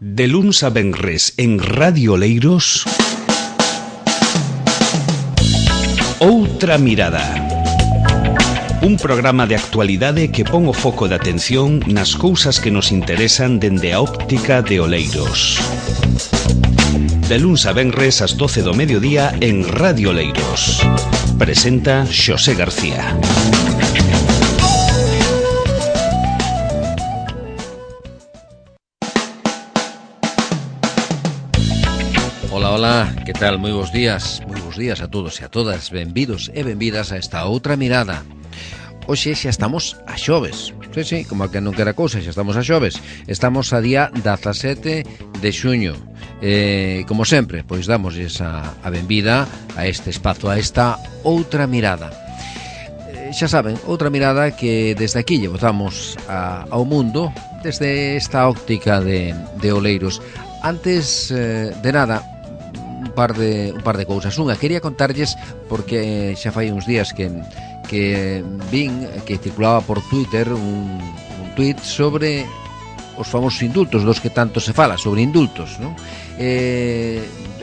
De luns a venres en Radio Oleiros, Outra Mirada. Un programa de actualidade que pon o foco de atención nas cousas que nos interesan dende a óptica de Oleiros. De luns a venres ás 12 do mediodía en Radio Oleiros. Presenta Xosé García. Ola, que tal? Moi bons días a todos e a todas. Benvidos e benvidas a esta Outra Mirada. Hoxe xa estamos a xoves. Sí, como que non quera cousa, xa estamos a xoves. Estamos a día 17 de xuño. Como sempre, pois damosles a benvida a este espazo, a esta Outra Mirada. Xa saben, outra mirada que desde aquí lle botamos ao mundo desde esta óptica de Oleiros. Antes de nada, un par de cousas. Unha, quería contarlles, porque xa fai uns días que vin que circulaba por Twitter un tuit sobre os famosos indultos, dos que tanto se fala, sobre indultos, non?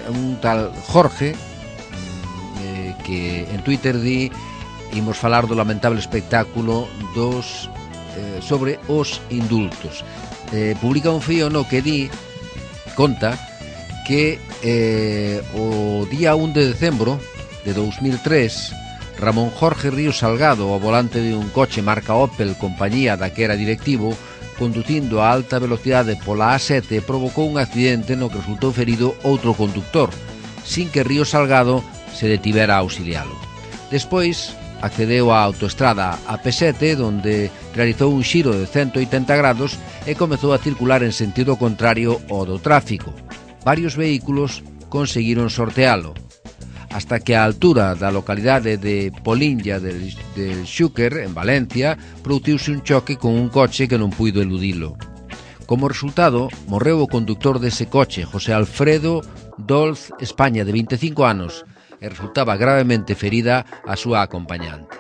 Un tal Jorge que en Twitter di: imos falar do lamentable espectáculo sobre os indultos. Publica un fío no que conta que o día 1 de decembro de 2003 Ramón Jorge Ríos Salgado, ao volante de un coche marca Opel, compañía da que era directivo, conducindo a alta velocidade pola A7, provocou un accidente no que resultou ferido outro conductor, sin que Ríos Salgado se detivera a auxilialo. Despois accedeu á autoestrada AP7, donde realizou un xiro de 180 grados e comezou a circular en sentido contrario ao do tráfico. Varios vehículos conseguiron sortealo, hasta que a altura da localidade de Poliña del Xúquer, en Valencia, produciuse un choque con un coche que non puido eludilo. Como resultado, morreu o conductor dese coche, José Alfredo Dolz España, de 25 anos, e resultaba gravemente ferida a súa acompañante,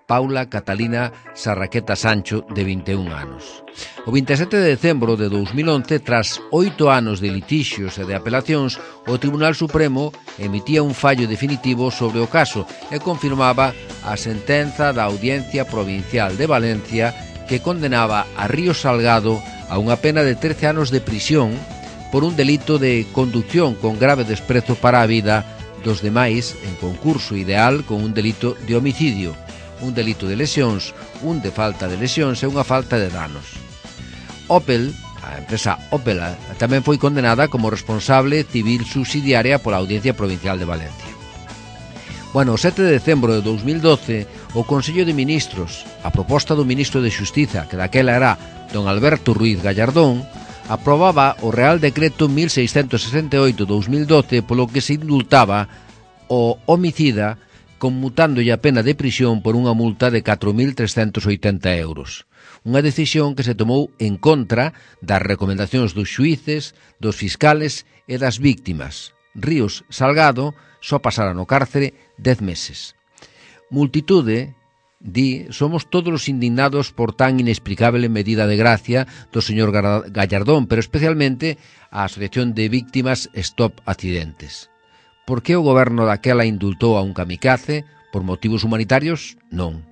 Paula Catalina Sarraqueta Sancho, de 21 anos. O 27 de decembro de 2011, tras 8 anos de litixios e de apelacións, o Tribunal Supremo emitía un fallo definitivo sobre o caso e confirmaba a sentenza da Audiencia Provincial de Valencia que condenaba a Ríos Salgado a unha pena de 13 anos de prisión por un delito de conducción con grave desprezo para a vida dos demais en concurso ideal con un delito de homicidio, un delito de lesións, un de falta de lesións e unha falta de danos. Opel, a empresa Opel, tamén foi condenada como responsable civil subsidiaria pola Audiencia Provincial de Valencia. Bueno, o 7 de decembro de 2012, o Consello de Ministros, a proposta do ministro de Xustiza, que daquela era don Alberto Ruiz Gallardón, aprobaba o Real Decreto 1668-2012 polo que se indultaba o homicida conmutándolle a pena de prisión por unha multa de 4.380 euros. Unha decisión que se tomou en contra das recomendacións dos xuíces, dos fiscales e das víctimas. Ríos Salgado só pasara no cárcere 10 meses. Multitude somos todos os indignados por tan inexplicable medida de gracia do señor Gallardón, pero especialmente a Asociación de Víctimas Stop Accidentes. Por que o goberno daquela indultou a un kamikaze? Por motivos humanitarios? Non.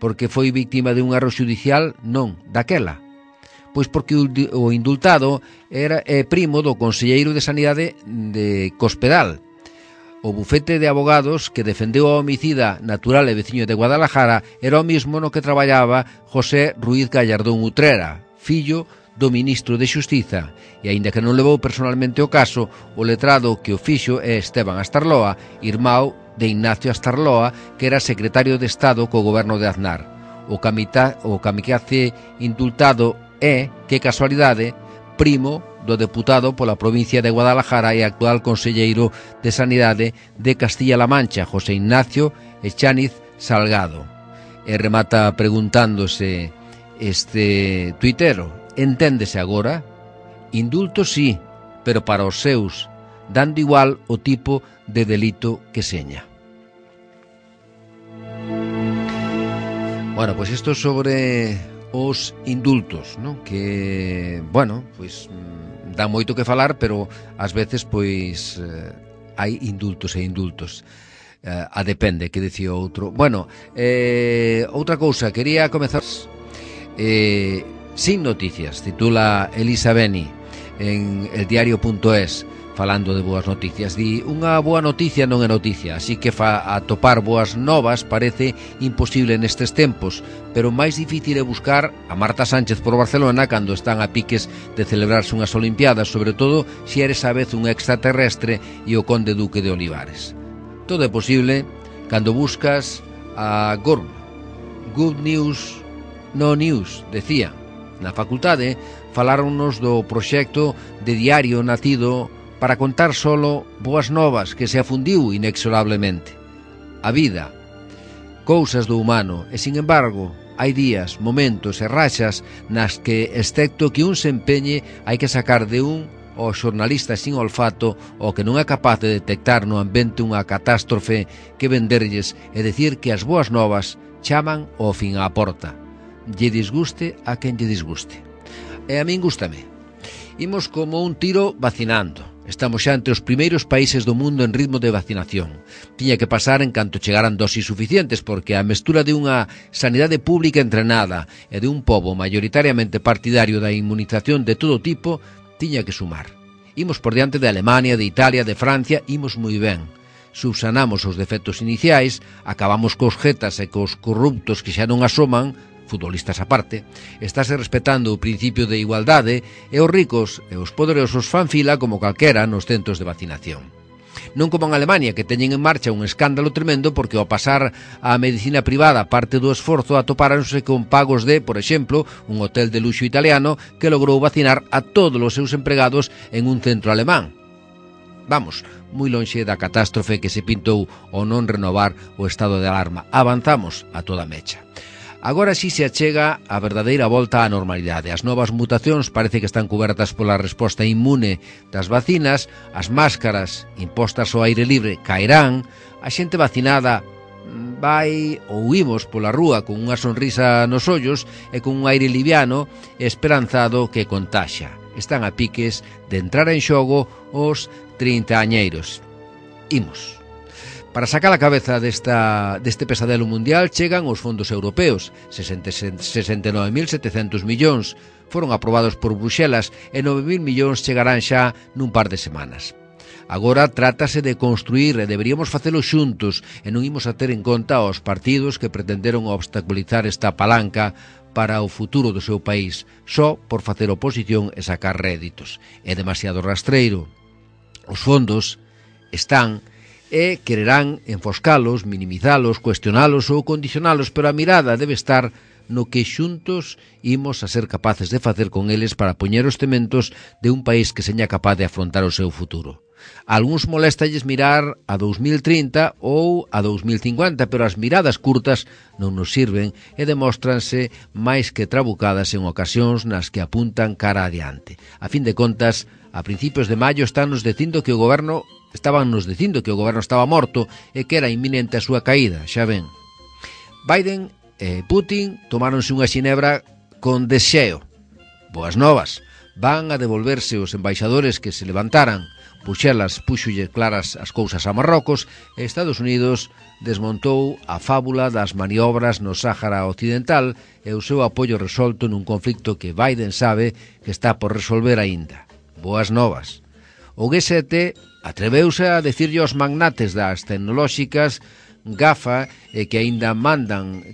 Porque foi víctima de un erro xudicial? Non, daquela. Pois porque o indultado era primo do conselleiro de Sanidade de Cospedal. O bufete de abogados que defendeu a homicida natural e veciño de Guadalajara era o mismo no que traballaba José Ruiz Gallardón Utrera, fillo do ministro de Xustiza, e aínda que non levou personalmente o caso, o letrado que o fixo é Esteban Astarloa, irmão de Ignacio Astarloa, que era secretario de Estado co goberno de Aznar. O kamikaze indultado é, que casualidade, primo do deputado pola provincia de Guadalajara e actual conselleiro de Sanidade de Castilla-La Mancha, José Ignacio Echániz Salgado. E remata preguntándose este tuitero: enténdese agora? Indulto sí, pero para os seus, dando igual o tipo de delito que seña. Bueno, pois isto sobre os indultos, ¿no? Que, bueno, pois dá moito que falar, pero ás veces pois hai indultos e indultos. A depende, que dicía outro. Bueno, outra cousa, quería comezar Sin Noticias, titula Elisa Beni en eldiario.es, falando de boas noticias. Di, unha boa noticia non é noticia, así que atopar boas novas parece imposible nestes tempos, pero máis difícil é buscar a Marta Sánchez por Barcelona cando están a piques de celebrarse unhas Olimpiadas, sobre todo se eres a vez un extraterrestre e o conde duque de Olivares. Todo é posible cando buscas a GORM. Good news, no news, decía. Na facultade faláronnos do proxecto de diario nacido para contar solo boas novas que se afundiu inexorablemente. A vida, cousas do humano, e sin embargo, hai días, momentos e rachas nas que, excepto que un se empeñe, hai que sacar de un o xornalista sin olfato o que non é capaz de detectar no ambiente unha catástrofe que venderlles e decir que as boas novas chaman ao fin á porta. Lle disguste a quen lle disguste. E a min gústame. Imos como un tiro vacinando. Estamos xa entre os primeiros países do mundo en ritmo de vacinación. Tiña que pasar en canto chegaran dosis suficientes, porque a mestura de unha sanidade pública entrenada e de un pobo maioritariamente partidario da inmunización de todo tipo tiña que sumar. Imos por diante de Alemania, de Italia, de Francia, imos moi ben. Subsanamos os defectos iniciais, acabamos cos jetas e cos corruptos que xa non asoman, futbolistas aparte, estáse respetando o principio de igualdade e os ricos e os poderosos fan fila como calquera nos centros de vacinación. Non como en Alemania, que teñen en marcha un escándalo tremendo porque ao pasar á medicina privada parte do esforzo atopáronse con pagos de, por exemplo, un hotel de luxo italiano que logrou vacinar a todos os seus empregados en un centro alemán. Vamos, moi lonxe da catástrofe que se pintou ao non renovar o estado de alarma. Avanzamos a toda mecha. Agora sí se achega a verdadeira volta á normalidade. As novas mutacións parece que están cubertas pola resposta inmune das vacinas, as máscaras impostas ao aire libre caerán, a xente vacinada vai ou imos pola rúa con unha sonrisa nos ollos e con un aire liviano e esperanzado que contaxa. Están a piques de entrar en xogo os 30añeiros. Imos. Para sacar a cabeza deste pesadelo mundial chegan os fondos europeos. 69.700 millóns foron aprobados por Bruxelas e 9.000 millóns chegarán xa nun par de semanas. Agora trátase de construir e deberíamos facelo xuntos e non imos a ter en conta aos partidos que pretenderon obstaculizar esta palanca para o futuro do seu país só por facer oposición e sacar réditos. É demasiado rastreiro. Os fondos están e quererán enfoscalos, minimizalos, cuestionalos ou condicionalos, pero a mirada debe estar no que xuntos imos a ser capaces de facer con eles para poñer os cementos de un país que seña capaz de afrontar o seu futuro. A algúns molestalles mirar a 2030 ou a 2050, pero as miradas curtas non nos sirven e demóstranse máis que trabucadas en ocasións nas que apuntan cara adiante. A fin de contas, a principios de maio estaban nos dicindo que o goberno estaba morto e que era inminente a súa caída, xa ven. Biden e Putin tomáronse unha xinebra con desxeo. Boas novas. Van a devolverse os embaixadores que se levantaran. Bruxelas púxolle claras as cousas a Marrocos e Estados Unidos desmontou a fábula das maniobras no Sáhara Occidental e o seu apoio resolto nun conflicto que Biden sabe que está por resolver aínda. Boas novas. O G7 atreveuse a decirlle aos magnates das tecnolóxicas GAFA que aínda mandan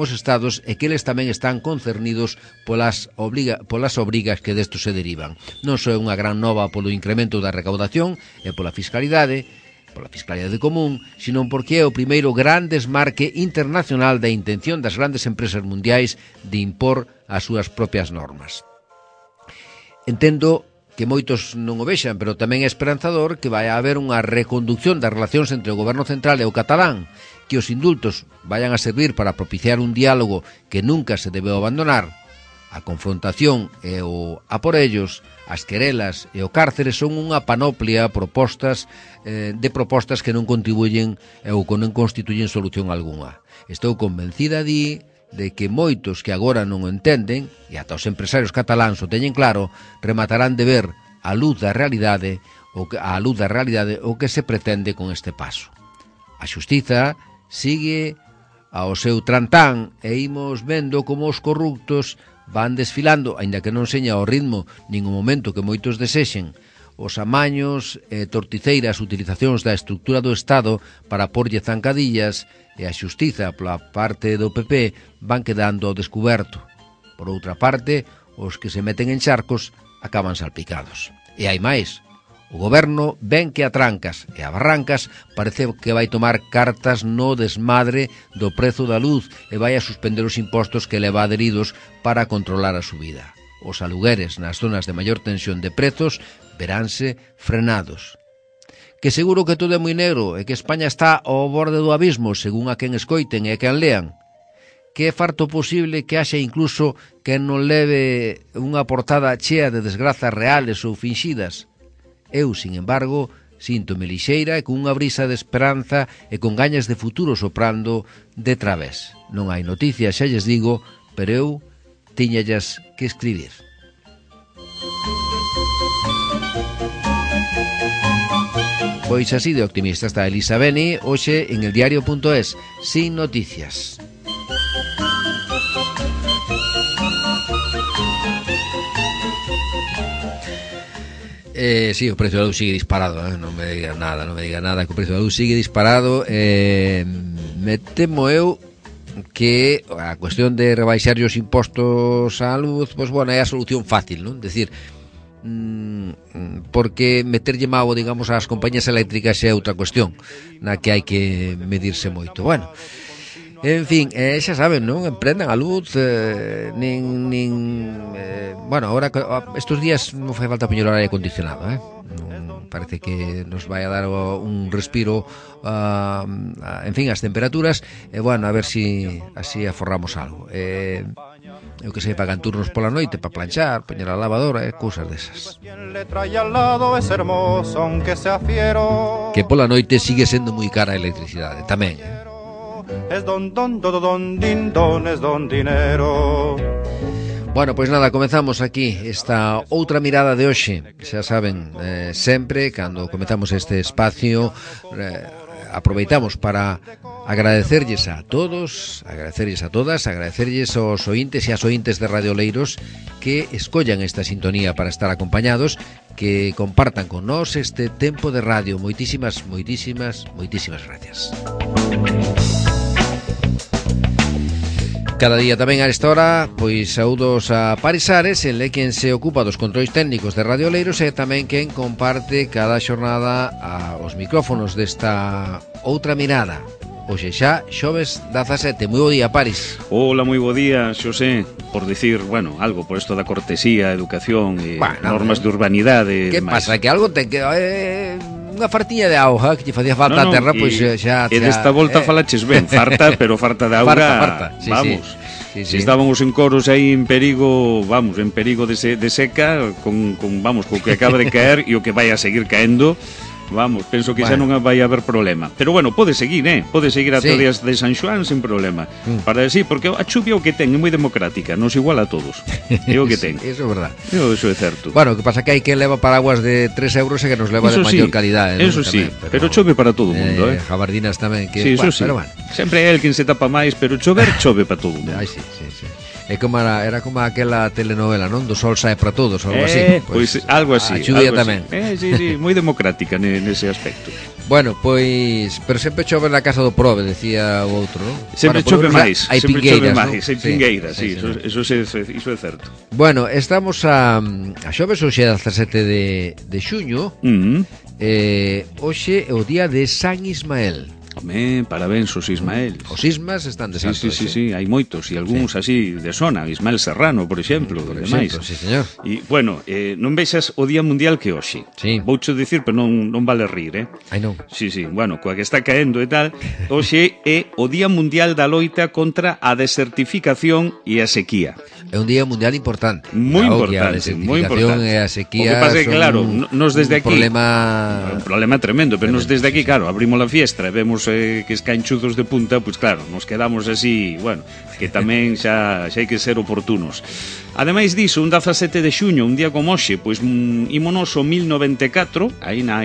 os estados e que eles tamén están concernidos polas obrigas que desto se derivan. Non só é unha gran nova polo incremento da recaudación e pola fiscalidade común, sino porque é o primeiro gran desmarque internacional da intención das grandes empresas mundiais de impor as súas propias normas. Entendo que moitos non o vexan, pero tamén é esperanzador que vai haber unha reconducción das relacións entre o goberno central e o catalán, que os indultos vayan a servir para propiciar un diálogo que nunca se debeu abandonar. A confrontación e o a por ellos, as querelas e o cárcere son unha panoplia de propostas que non contribuyen ou que non constituyen solución algunha. Estou convencida de que moitos que agora non o entenden, e ata os empresarios cataláns o teñen claro, rematarán de ver a luz da realidade o que se pretende con este paso. A xustiza sigue ao seu trantán e imos vendo como os corruptos van desfilando, aínda que non seña ao ritmo nin o momento que moitos desexen. Os amaños e torticeiras utilizacións da estructura do Estado para porlle zancadillas e a xustiza pola parte do PP van quedando ao descuberto. Por outra parte, os que se meten en charcos acaban salpicados. E hai máis. O goberno ven que a trancas e a barrancas parece que vai tomar cartas no desmadre do prezo da luz e vai a suspender os impostos que leva adheridos para controlar a subida. Os alugueres nas zonas de maior tensión de prezos veránse frenados. Que seguro que todo é moi negro e que España está ao borde do abismo, según a quen escoiten e a quen lean. Que é farto posible que haxa incluso que non leve unha portada chea de desgrazas reales ou finxidas. Eu, sin embargo, síntome lixeira e con unha brisa de esperanza e con gañas de futuro soprando de través. Non hai noticias, xa lles digo, pero eu tiñallas que escribir. Pois así de optimista está Elisa Beni, hoxe en eldiario.es, sin noticias. Sí, o precio da luz sigue disparado, non me diga nada, que o precio da luz sigue disparado. Me temo eu que a cuestión de rebaixar os impostos á luz, pois bueno, é a solución fácil, non? Decir, porque meterlle mau, digamos, ás compañías eléctricas é outra cuestión na que hai que medirse moito. Bueno, en fin, xa saben, non? Emprendan a luz, bueno, ahora estes días non fai falta poñer o aire acondicionado, parece que nos vai a dar un respiro, en fin, as temperaturas, e bueno, a ver si así aforramos algo. Eu que sei, pagan turnos pola noite para planchar, poñer a lavadora, cousas desas. Que pola noite sigue sendo moi cara a electricidade, tamén. Es don dinero. Bueno, pois nada, comezamos aquí esta outra mirada de hoxe. Xa saben, sempre, cando comezamos este espacio, aproveitamos para agradecerlles a todos, agradecerlles a todas, agradecerlles aos ointes e as ointes de Radio Oleiros que escollan esta sintonía para estar acompañados, que compartan con nós este tempo de radio. Moitísimas gracias. Cada día tamén a esta hora, pois saúdos a Paris Ares, el é quen se ocupa dos controis técnicos de Radio Oleiros e tamén quen comparte cada xornada aos micrófonos desta outra mirada. Hoxe xa, xoves 17. Moi bo día, Paris. Hola, moi bo día, Xosé. Por dicir, bueno, algo por isto da cortesía, educación e normas de urbanidade. Que pasa? Que algo ten que... unha fartiña de auga que lle facía falta a terra, pois xa... E desta volta falaches ben, farta, pero farta de auga, farta. Sí, vamos. Sí. Se estábamos en coros aí en perigo, vamos, en perigo de seca, con vamos, co que acaba de caer e o que vai a seguir caendo, vamos, penso que xa non vai haber problema. Pero bueno, pode seguir ata o días de San Xoán sen problema. Para decir, porque a chuvia o que ten é moi democrática, nos igual a todos. É o que ten. Eso é verdad. Eso é certo. Bueno, o que pasa que hai que leva paraguas de 3 euros e que nos leva de maior calidade. Eso sí, pero chove para todo o mundo, jabardinas tamén, que sí, eso sí. Pero bueno. Sempre é el quen se tapa máis, pero chove para todo o mundo. Ai, sí. É como era como aquela telenovela, non? Do sol sae para todos, algo así. Pois algo así. A chuvia tamén. Sí, moi democrática nese aspecto. Bueno, pois, pero sempre chove na casa do prove, decía o outro, non? Sempre chove máis, hai pingueiras, hai pingueiras, sí, eso é certo. Bueno, estamos a xoves, hoxe é 17 de xuño. Hoxe é o día de San Ismael. Home, parabéns os Ismael. Os Ismas están de santo. Sí, hai moitos, e algúns así de zona, Ismael Serrano, por exemplo, demais. Sí, señor. E, bueno, non vexas o Día Mundial que hoxe. Sí. Voucho dicir, pero non vale rir, Ai, non. Sí, bueno, coa que está caendo e tal, hoxe é o Día Mundial da loita contra a desertificación e a sequía. É un día mundial importante. Moi importante, moi importante. E a sequía o que pasa é que, claro, nos desde aquí... Un problema tremendo, pero nos desde aquí, claro, abrimos la fiestra e vemos todos que escanchudos de punta, pois claro, nos quedamos así, bueno, que tamén xa hai que ser oportunos. Ademais diso, un 17 de xuño, un día como hoxe, pois ímonos o 1094, aí na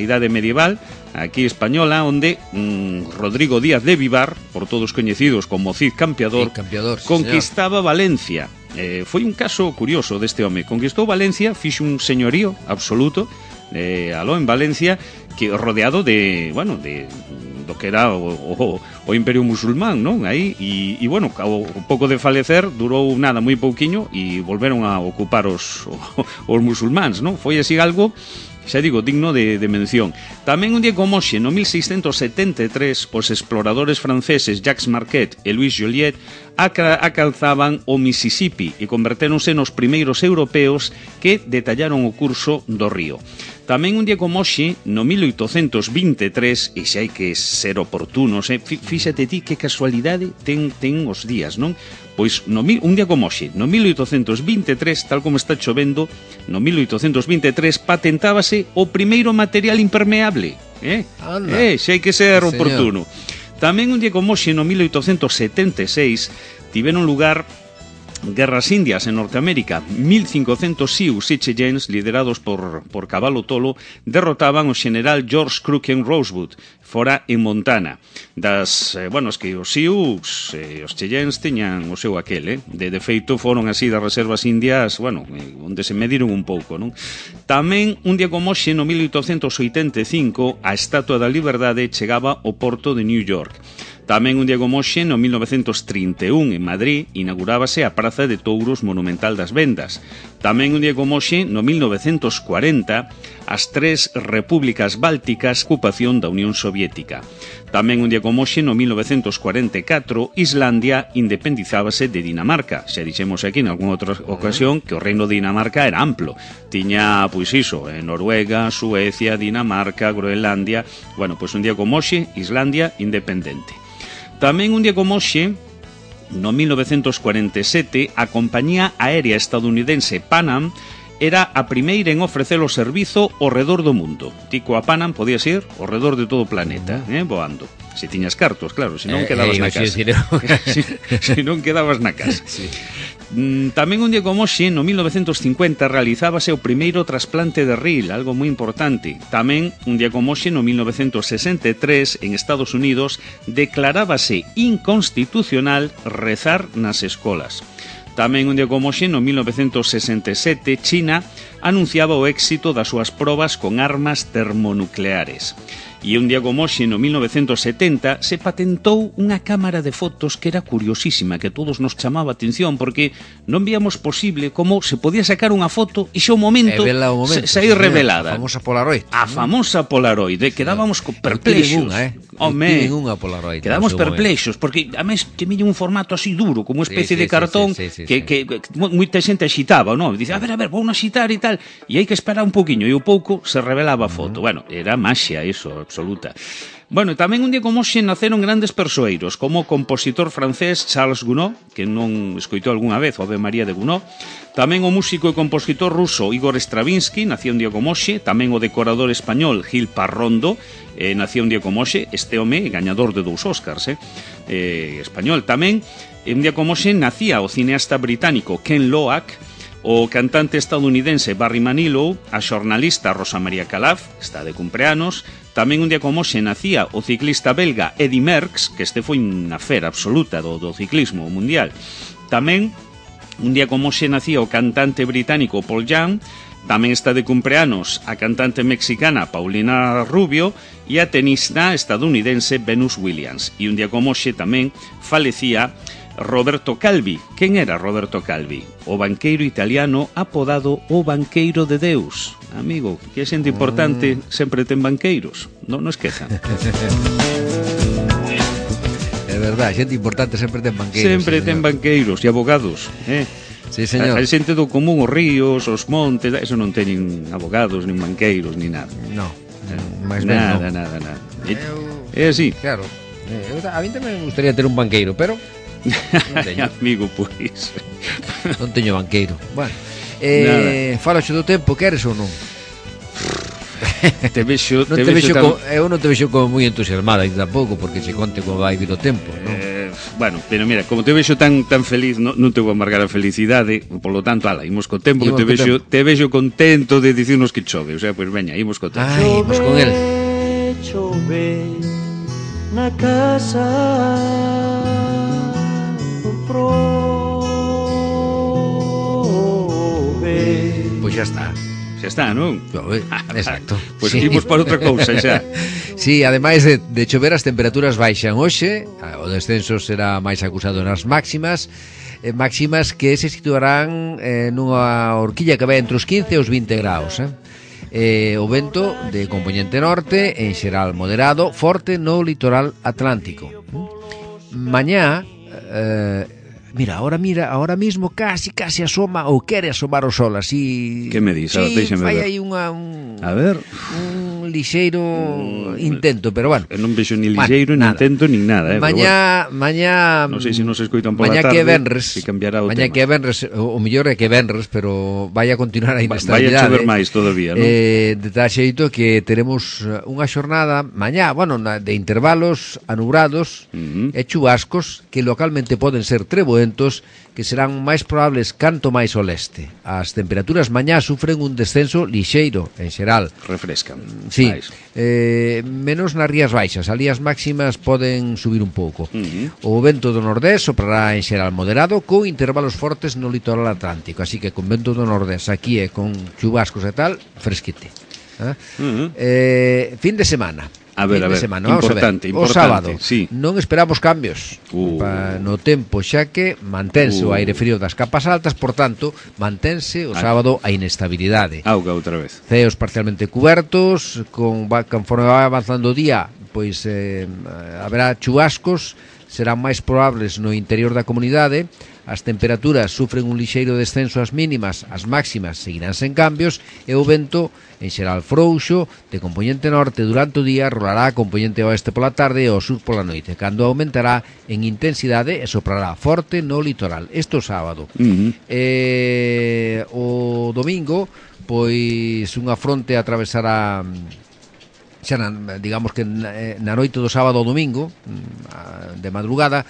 idade medieval, aquí española, onde Rodrigo Díaz de Vivar, por todos coñecidos como Cid Campeador, conquistaba Valencia. Foi un caso curioso deste home. Conquistou Valencia, fixo un señorío absoluto aló en Valencia, que rodeado de, bueno, de do que era o Imperio Musulmán, non? Aí, e bueno, ao pouco de falecer, durou nada, moi pouquiño, e volveron a ocupar os musulmáns, non? Foi así algo, xa digo, digno de mención. Tamén un día como hoxe, no 1673, os exploradores franceses Jacques Marquette e Louis Joliet alcanzaban o Mississippi e convertéronse nos primeiros europeos que detallaron o curso do río. Tamén un día como hoxe, no 1823, e xa hai que ser oportunos, fíxate ti que casualidade ten os días, non? Pois un día como hoxe, no 1823, tal como está chovendo, no 1823 patentábase o primeiro material impermeable. Xa hai que ser oportuno. Tamén un día como hoxe, no 1876, tiveron lugar Guerras Indias en Norteamérica. 1500 Sioux e Cheyennes, liderados por Caballo Tolo, derrotaban o general George Crooken Rosewood, fora en Montana. Es que os Sioux e os Cheyennes teñan o seu aquel, de feito foron así das reservas indias, onde se mediron un pouco, non? Tamén un día como hoxe, no 1885, a Estatua da Liberdade chegaba ao porto de New York. Tamén un día como hoxe, no 1931, en Madrid, inaugurábase a Praza de Touros Monumental das Vendas. Tamén un día como hoxe, no 1940, as tres repúblicas bálticas, ocupación da Unión Soviética. Tamén un día como hoxe, no 1944, Islandia independizábase de Dinamarca. Xa dixemos aquí en algunha outra ocasión que o reino de Dinamarca era amplo. Tiña, pois iso, Noruega, Suecia, Dinamarca, Groenlandia. Bueno, pois un día como hoxe, Islandia independente. Tamén un día como hoxe, no 1947, a compañía aérea estadounidense Pan Am era a primeira en ofrecer o servizo ao redor do mundo. Tico a Pan Am podías ir ao redor de todo o planeta, voando. Se tiñas cartos, claro, se non quedabas na casa. Se non quedabas na casa. Tamén un día como hoxe, no 1950, realizábase o primeiro trasplante de ril, algo moi importante. Tamén un día como hoxe, no 1963, en Estados Unidos, declarábase inconstitucional rezar nas escolas. Tamén un día como hoxe, no 1967, China anunciaba o éxito das súas probas con armas termonucleares. E un día como hoxe, no 1970, se patentou unha cámara de fotos que era curiosísima, que a todos nos chamaba a atención, porque non víamos posible como se podía sacar unha foto e xa o momento sair revelada. A famosa Polaroid. A famosa Polaroid, quedábamos perplexos. Quedamos perplexos, porque a mes que mille un formato así duro, como unha especie de cartón, que moita xente axitaba, non? Dice, a ver, vou axitar e tal, e hai que esperar un pouquiño, e o pouco se revelaba a foto. Bueno, era maxia iso, absoluta. Bueno, tamén un día como hoxe naceron grandes persoeiros, como o compositor francés Charles Gounod, que non escoitou algunha vez o Ave María de Gounod, tamén o músico e compositor ruso Igor Stravinsky, nacía un día como hoxe, tamén o decorador español Gil Parrondo, nacía un día como hoxe, este home gañador de 2 Oscars, español tamén. Un día como hoxe nacía o cineasta británico Ken Loach, o cantante estadounidense Barry Manilow, a xornalista Rosa María Calaf, está de cumpleanos. Tamén un día como hoxe nacía o ciclista belga Eddy Merckx, que este foi unha fera absoluta do ciclismo mundial. Tamén un día como hoxe nacía o cantante británico Paul Young. Tamén está de cumpleanos a cantante mexicana Paulina Rubio e a tenista estadounidense Venus Williams. E un día como hoxe tamén falecía Roberto Calvi. Quen era Roberto Calvi? O banqueiro italiano apodado o Banqueiro de Deus. Amigo, que é xente importante sempre ten banqueiros. Non esquezan. É verdade, xente importante sempre ten banqueiros. Sempre ten banqueiros e abogados, Sí, señor. A xente do común, os ríos, os montes, eso non teñen abogados, nin banqueiros, nin nada. No, nada. É así. Claro. A mí tamén me gustaría ter un banqueiro, pero non teño. Amigo, pois. Non teño banqueiro. Bueno, falaxe do tempo, queres ou non? Te vexo eu non te vexo como moi entusiasmada tampouco, porque se conte como vai vir o tempo, non? Bueno, pero mira, como te vexo tan feliz, non te vou amargar a felicidade, polo tanto, ala, imos co tempo, que te vexo contento de dicirnos que chove, o sea, pois veña, imos co tempo. Ai, imos con el. Chove na casa Pois xa está. Xa está, non? Exacto. Pois imos para outra cousa xa. Sí, ademais de chover, as temperaturas baixan hoxe, o descenso será máis acusado nas máximas, máximas que se situarán nunha horquilla que vai entre os 15 e os 20 graus, o vento de compoñente norte, en xeral moderado, forte no litoral atlántico. Mañá, ahora mismo casi asoma ou quere asomar o sol así. Que me dis? Sí, vai aí un lixeiro intento, pero bueno. Non vexo ni lixeiro, ni intento, ni nada, Mañá, non sei se nos escoitan pola tarde. Mañá que venres, se cambiará o mañá tema. que venres, o mellor é que venres, pero vai a continuar a inestabilidade. Vai a chover máis todavía, non? De tal xeito que teremos unha xornada mañá, bueno, de intervalos anubrados e chubascos que localmente poden ser treboentos, que serán máis probables canto máis ao leste. As temperaturas mañá sufren un descenso lixeiro, en xeral. Refrescan. Sí, menos nas rías baixas, ali as máximas poden subir un pouco. O vento do nordés soprará en xeral moderado, con intervalos fortes no litoral atlántico, así que con vento do nordés aquí e con chubascos e tal, fresquete. Fin de semana. A ver, importante. O sábado, sí. Non esperamos cambios no tempo, xa que mantense o aire frío das capas altas, por tanto, mantense o sábado a inestabilidade. Auga outra vez. Ceos parcialmente cubertos, conforme vai avanzando o día, pois haberá chubascos, serán máis probables no interior da comunidade. As temperaturas sufren un lixeiro descenso ás mínimas, as máximas seguirán sen cambios e o vento, en xeral frouxo, de compoñente norte durante o día, rolará a compoñente oeste pola tarde e ao sur pola noite, cando aumentará en intensidade e soprará forte no litoral. Isto o sábado. O domingo, pois unha fronte atravesará xa digamos que na noite do sábado ao domingo, de madrugada,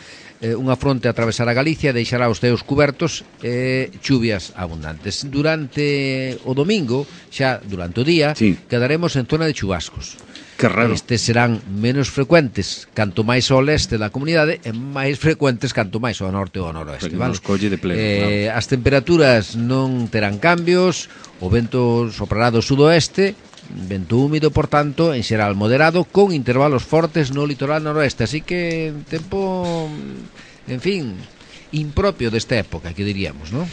unha fronte atravesará Galicia e deixará os ceos cubertos e chuvias abundantes. Durante o domingo, xa durante o día, quedaremos en zona de chubascos. Que raro. Estes serán menos frecuentes canto máis ao leste da comunidade e máis frecuentes canto máis ao norte ou ao noroeste, vale? As temperaturas non terán cambios, o vento soprará do sudoeste, vento húmido, por tanto, en xeral moderado, con intervalos fortes no litoral noroeste, así que tempo, en fin, impropio desta época, que diríamos, non?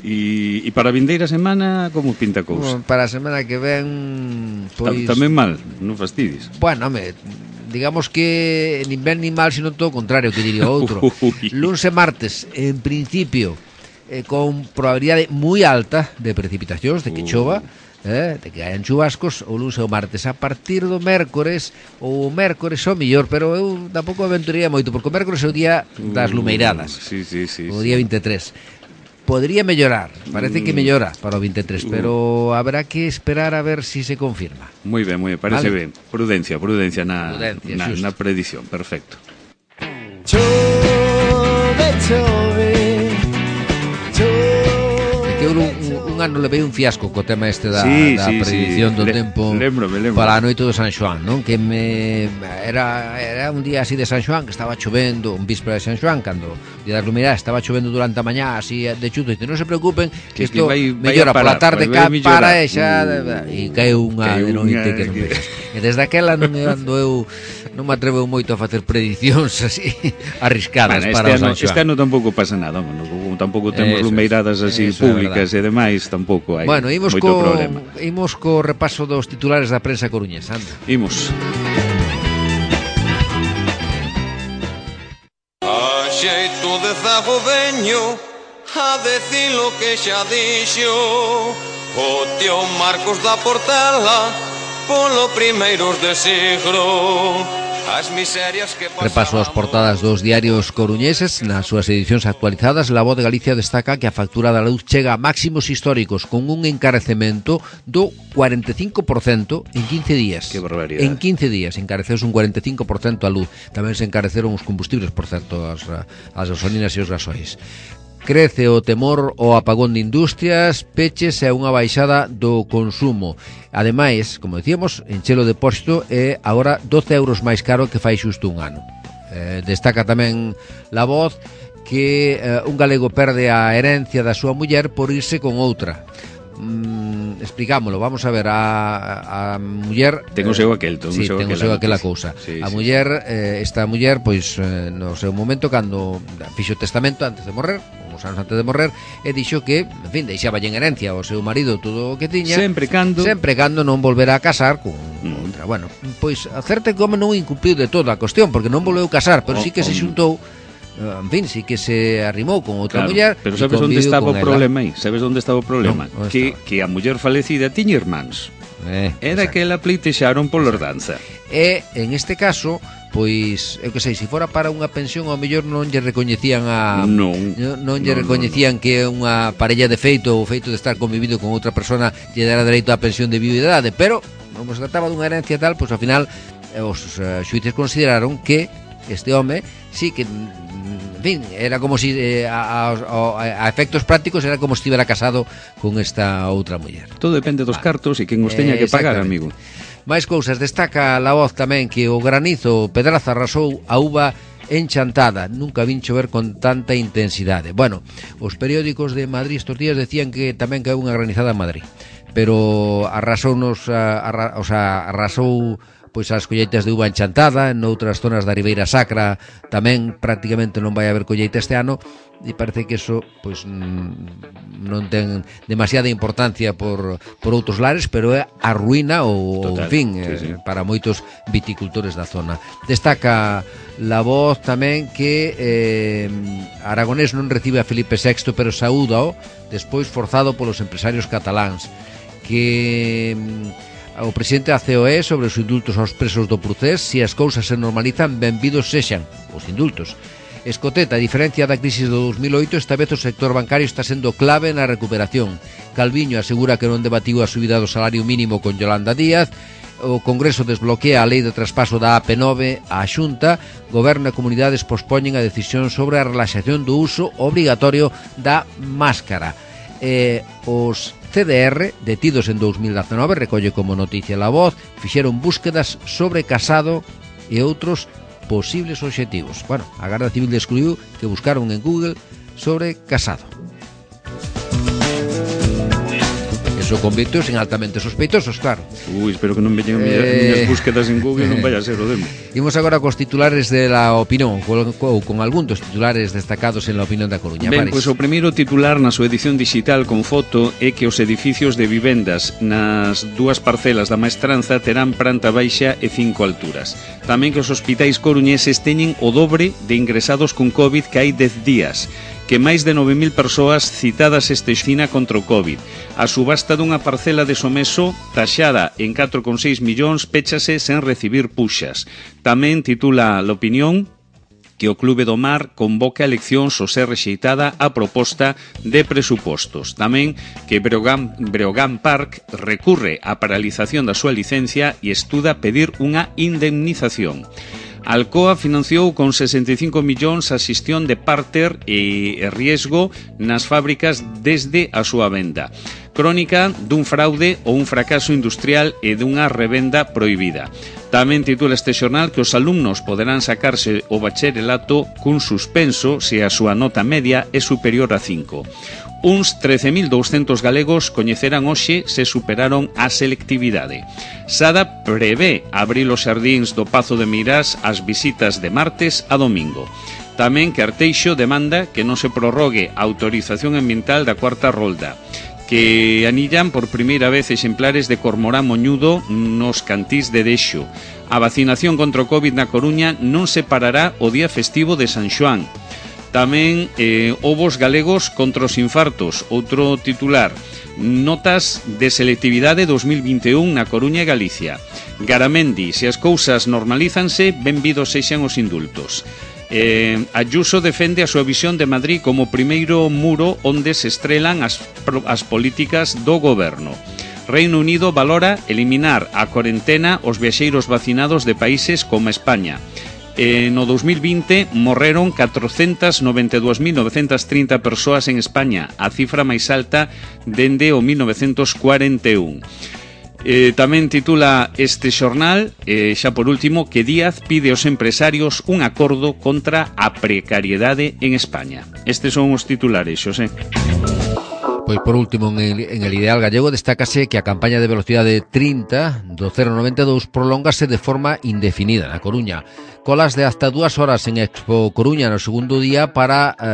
E para a vindeira semana, como pinta a cousa? Bueno, para a semana que ven, pois... Tamén mal, non fastidies. Bueno, digamos que nin ben nin mal, sino todo o contrario, que diría outro. Luns e martes, en principio, con probabilidade moi alta de precipitacións, de que chova, de que hayan chubascos o lunes e o martes. A partir do mércores ou o mércores o mellor, pero eu tampouco aventuraría moito, porque o mércores é o día das lumeiradas, o día 23. Podría mellorar, parece que mellora para o 23, pero habrá que esperar a ver si se confirma. Moi ben, parece ben. Prudencia na predición, perfecto. Chove, chove, un ano levei un fiasco co tema este da predicción do tempo lembro. para a noite do San Xoán, non? Que era un día así de San Xoán, que estaba chovendo, un víspera de San Xoán, cando o día das luminadas estaba chovendo durante a mañá así de chuto, e non se preocupen que isto mellora pola tarde, para e xa e caeu unha de noite que non vexas. E desde aquela non me atrevo moito a facer predicións así arriscadas para o San Xoán. Este ano tampouco pasa nada, tampouco temos lumeiradas así públicas e demais, tampouco hai moito problema. Imos co repaso dos titulares da prensa coruñesa, anda. Imos. A xeito de zago veño a decir lo que xa dixo o tío Marcos da Portela polo primeiros de siglo. as miserias que Repaso as portadas dos diarios coruñeses. Nas súas edicións actualizadas, La Voz de Galicia destaca que a factura da luz chega a máximos históricos con un encarecemento do 45% en 15 días. Que barbaridade. En 15 días encareceuse un 45% a luz. Tamén se encareceron os combustibles, por certo, as gasolinas e os gasois. Crece o temor ao apagón de industrias, peches e unha baixada do consumo. Ademais, como decíamos, enche o depósito é agora 12 euros máis caro que fai xusto un ano. Destaca tamén La Voz que un galego perde a herencia da súa muller por irse con outra. Explicámoslo, vamos a ver, a muller ten o seu aquel, aquela cousa. A muller, esta muller, pois no seu momento, cando fixo o testamento antes de morrer, uns anos antes de morrer, e dixo que, en fin, deixaba en herencia ao seu marido todo o que tiña, sempre cando non volverá a casar con outra. Bueno, pois a certa que non incumpliu de toda a cuestión, porque non volveu casar, pero sí que se xuntou, en fin, sí que se arrimou con outra muller. Pero sabes onde estaba o problema aí? Sabes onde estaba o problema? No, que a muller falecida tiña irmáns. Era que ela pleitexaron por ordanza. E, en este caso, pois, eu que sei, se fora para unha pensión, ao mellor non lle recoñecían non lle recoñecían que unha parella de feito, o feito de estar convivido con outra persona lle dera dereito á pensión de viudidade, pero, como se trataba dunha herencia tal, pois, ao final, os xuíces consideraron que este home, sí que, en fin, era como si a efectos prácticos era como se estivera casado con esta outra muller. Todo depende dos cartos e quen os teña que pagar, amigo. Mais cousas, destaca La Voz tamén que o granizo Pedraza arrasou a uva enchantada, nunca vin chover con tanta intensidade. Bueno, os periódicos de Madrid estos días decían que tamén caeu unha granizada en Madrid, pero arrasou pois as colleitas de uva enchantada. En outras zonas da Ribeira Sacra tamén prácticamente non vai haber colleita este ano, e parece que eso pois non ten demasiada importancia por outros lares, pero é a ruína ou en fin, sí. Para moitos viticultores da zona. Destaca La Voz tamén que Aragonés non recibe a Felipe VI, pero saúdao despois forzado polos empresarios cataláns. Que o presidente da COE sobre os indultos aos presos do Procés, se as cousas se normalizan, benvidos sexan os indultos. Escoteta, a diferencia da crisis do 2008, esta vez o sector bancario está sendo clave na recuperación. Calviño asegura que non debatiu a subida do salario mínimo con Yolanda Díaz. O Congreso desbloquea a lei de traspaso da AP9 á Xunta. Goberno e comunidades pospoñen a decisión sobre a relaxación do uso obrigatorio da máscara. Os CDR, detidos en 2019, recolle como noticia La Voz, fixeron búsquedas sobre Casado e outros posibles obxectivos. Bueno, a Garda Civil descubriu que buscaron en Google sobre Casado. Eso convirteos en altamente sospeitosos, claro. Espero que non veñan as búsquedas en Google, non vaya a ser o demo. Imos agora cos titulares de La Opinión, con algún dos titulares destacados en La Opinión da Coruña. Ben, pois o primeiro titular na súa edición digital con foto é que os edificios de vivendas nas dúas parcelas da Maestranza terán planta baixa e 5 alturas. Tamén que os hospitais coruñeses teñen o dobre de ingresados con COVID que hai 10 días, que máis de 9.000 persoas citadas esta xina contra o COVID. A subasta dunha parcela de Someso, taxada en 4,6 millóns, péchase sen recibir puxas. Tamén titula l'Opinión que o Clube do Mar convoca eleccións ao ser rexeitada a proposta de presupostos. Tamén que Breogán Park recurre á paralización da súa licencia e estuda pedir unha indemnización. Alcoa financiou con 65 millóns a xestión de párter e riesgo nas fábricas desde a súa venda. Crónica dun fraude ou un fracaso industrial e dunha revenda prohibida. Tamén titula este xornal que os alumnos poderán sacarse o bacharelato cun suspenso se a súa nota media é superior a 5. Uns 13.200 galegos coñecerán hoxe se superaron a selectividade. Sada prevé abrir os xardíns do Pazo de Meirás as visitas de martes a domingo. Tamén que Arteixo demanda que non se prorrogue a autorización ambiental da cuarta rolda. Que anillan por primeira vez exemplares de cormorán moñudo nos cantís de Dexo. A vacinación contra o COVID na Coruña non se parará o día festivo de San Xoán. Tamén ovos galegos contra os infartos, outro titular. Notas de selectividade 2021 na Coruña e Galicia. Garamendi, se as cousas normalízanse, benvidos sexan os indultos. Ayuso defende a súa visión de Madrid como primeiro muro onde se estrelan as políticas do goberno. Reino Unido valora eliminar a cuarentena os viaxeiros vacinados de países como España. No 2020 morreron 492.930 persoas en España, a cifra máis alta dende o 1941. Tamén titula este xornal, xa por último, que Díaz pide aos empresarios un acordo contra a precariedade en España. Estes son os titulares, Xosé. Pois por último, en el Ideal Gallego destácase que a campaña de velocidade 30 do 092 prolóngase de forma indefinida na Coruña. Colas de hasta 2 horas en Expo Coruña no segundo día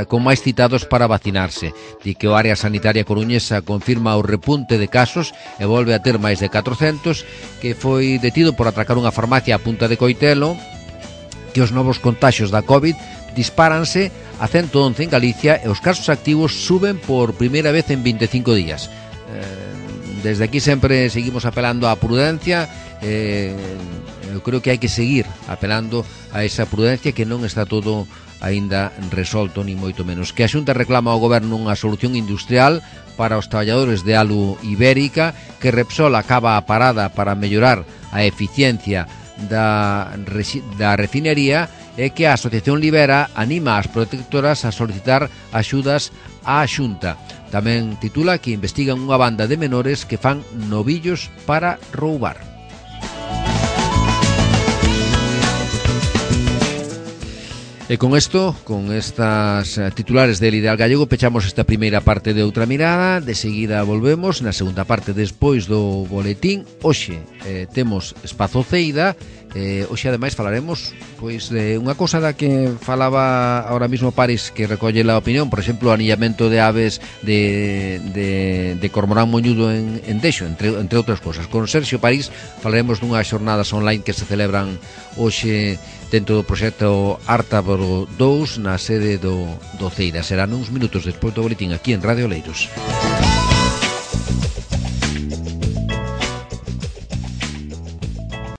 con máis citados para vacinarse. Di que o área sanitaria coruñesa confirma o repunte de casos e volve a ter máis de 400, que foi detido por atracar unha farmacia a Punta de Coitelo, que os novos contaxios da COVID dispáranse a 111 en Galicia e os casos activos suben por primeira vez en 25 días. Desde aquí sempre seguimos apelando á prudencia. Eu creo que hai que seguir apelando a esa prudencia, que non está todo aínda resolto, ni moito menos. Que a Xunta reclama ao Goberno unha solución industrial para os traballadores de Alu Ibérica, que Repsol acaba a parada para mellorar a eficiencia da refinería, e que a Asociación Libera anima as protectoras a solicitar axudas á Xunta. Tamén titula que investigan unha banda de menores que fan novillos para roubar. E con isto, con estas titulares del Ideal Gallego, pechamos esta primeira parte de Outra Mirada. De seguida volvemos na segunda parte despois do boletín. Hoxe temos Espazo Ceida. Hoxe ademais falaremos pois de unha cousa da que falaba ahora mismo Paris, que recolle a opinión, por exemplo, o anillamento de aves de cormorán moñudo en Deixo, entre outras cousas. Con Sergio París falaremos dunhas xornadas online que se celebran hoxe dentro do proxecto Ártaboro 2 na sede do Ceira. Serán uns minutos despois do boletín aquí en Radio Oleiros.